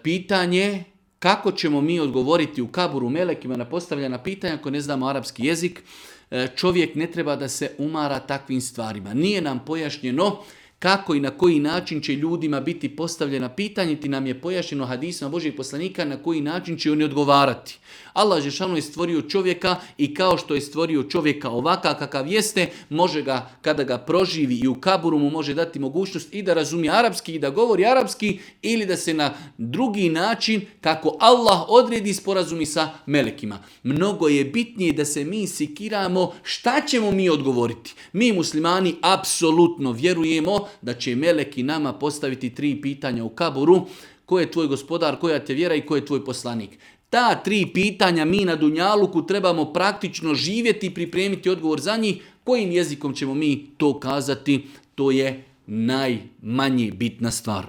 Pitanje kako ćemo mi odgovoriti u kaburu melekima na postavljena pitanja ako ne znamo arapski jezik. Čovjek ne treba da se umara takvim stvarima. Nije nam pojašnjeno kako i na koji način će ljudima biti postavljena pitanja, ti nam je pojašnjeno hadisima Božjih poslanika na koji način će oni odgovarati. Allah dželešanu je stvorio čovjeka i kao što je stvorio čovjeka ovakav kakav jeste, može ga, kada ga proživi i u kaburu mu može dati mogućnost i da razumije arapski i da govori arapski ili da se na drugi način kako Allah odredi sporazumi sa melekima. Mnogo je bitnije da se mi sikiramo šta ćemo mi odgovoriti. Mi muslimani apsolutno vjerujemo da će meleki nama postaviti 3 pitanja u kaburu. Ko je tvoj gospodar, koja te vjera i ko je tvoj poslanik? Ta 3 pitanja mi na dunjaluku trebamo praktično živjeti i pripremiti odgovor za njih. Kojim jezikom ćemo mi to kazati? To je najmanje bitna stvar.